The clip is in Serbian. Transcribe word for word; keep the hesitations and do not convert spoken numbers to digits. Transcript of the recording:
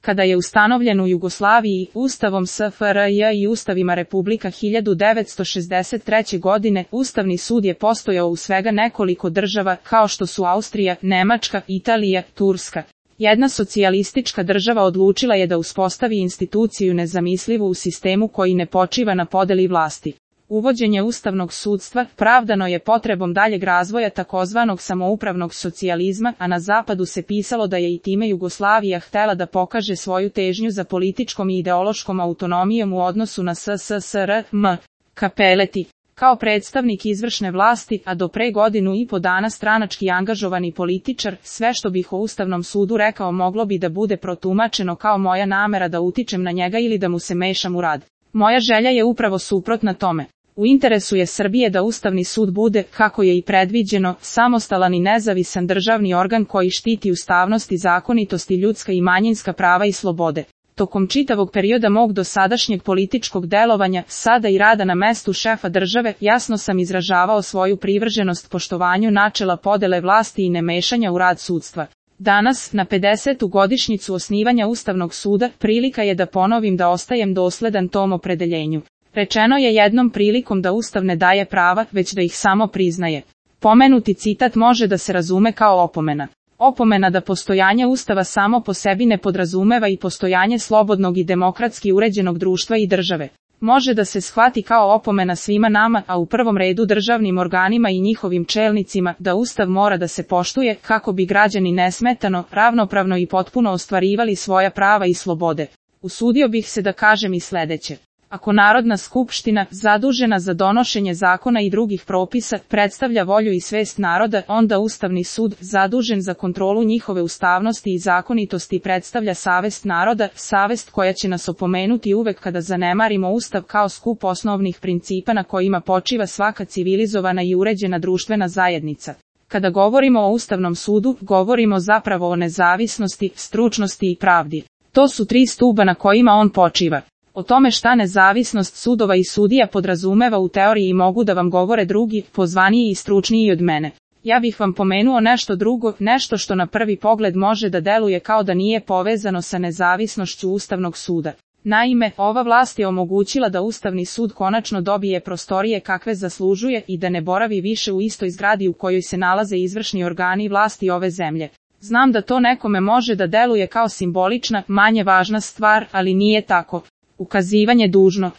Kada je ustanovljen u Jugoslaviji, Ustavom S F R J i Ustavima Republika hiljadu devetsto šezdeset treće. godine, Ustavni sud je postojao u svega nekoliko država, kao što su Austrija, Nemačka, Italija, Turska. Jedna socijalistička država odlučila je da uspostavi instituciju nezamislivu u sistemu koji ne počiva na podeli vlasti. Uvođenje ustavnog sudstva pravdano je potrebom daljeg razvoja takozvanog samoupravnog socijalizma, a na zapadu se pisalo da je i time Jugoslavija htela da pokaže svoju težnju za političkom i ideološkom autonomijom u odnosu na S S S R M. Kapeleti, kao predstavnik izvršne vlasti, a do pre godinu i po dana stranački angažovani političar, sve što bih o Ustavnom sudu rekao moglo bi da bude protumačeno kao moja namera da utičem na njega ili da mu se mešam u rad. Moja želja je upravo suprotna tome. U interesu je Srbije da Ustavni sud bude, kako je i predviđeno, samostalan i nezavisan državni organ koji štiti ustavnost i zakonitost i ljudska i manjinska prava i slobode. Tokom čitavog perioda mog dosadašnjeg političkog delovanja, sada i rada na mestu šefa države, jasno sam izražavao svoju privrženost poštovanju načela podele vlasti i nemešanja u rad sudstva. Danas, na pedesetu godišnjicu osnivanja Ustavnog suda, prilika je da ponovim da ostajem dosledan tom opredeljenju. Rečeno je jednom prilikom da Ustav ne daje prava, već da ih samo priznaje. Pomenuti citat može da se razume kao opomena. Opomena da postojanje Ustava samo po sebi ne podrazumeva i postojanje slobodnog i demokratski uređenog društva i države. Može da se shvati kao opomena svima nama, a u prvom redu državnim organima i njihovim čelnicima, da Ustav mora da se poštuje, kako bi građani nesmetano, ravnopravno i potpuno ostvarivali svoja prava i slobode. Usudio bih se da kažem i sledeće. Ako Narodna skupština, zadužena za donošenje zakona i drugih propisa, predstavlja volju i svest naroda, onda Ustavni sud, zadužen za kontrolu njihove ustavnosti i zakonitosti, predstavlja savest naroda, savest koja će nas opomenuti uvek kada zanemarimo Ustav kao skup osnovnih principa na kojima počiva svaka civilizovana i uređena društvena zajednica. Kada govorimo o Ustavnom sudu, govorimo zapravo o nezavisnosti, stručnosti i pravdi. To su tri stuba na kojima on počiva. O tome šta nezavisnost sudova i sudija podrazumeva u teoriji mogu da vam govore drugi, pozvaniji i stručniji od mene. Ja bih vam pomenuo nešto drugo, nešto što na prvi pogled može da deluje kao da nije povezano sa nezavisnošću Ustavnog suda. Naime, ova vlast je omogućila da Ustavni sud konačno dobije prostorije kakve zaslužuje i da ne boravi više u istoj zgradi u kojoj se nalaze izvršni organi vlasti ove zemlje. Znam da to nekome može da deluje kao simbolična, manje važna stvar, ali nije tako. Ukazivanje dužno.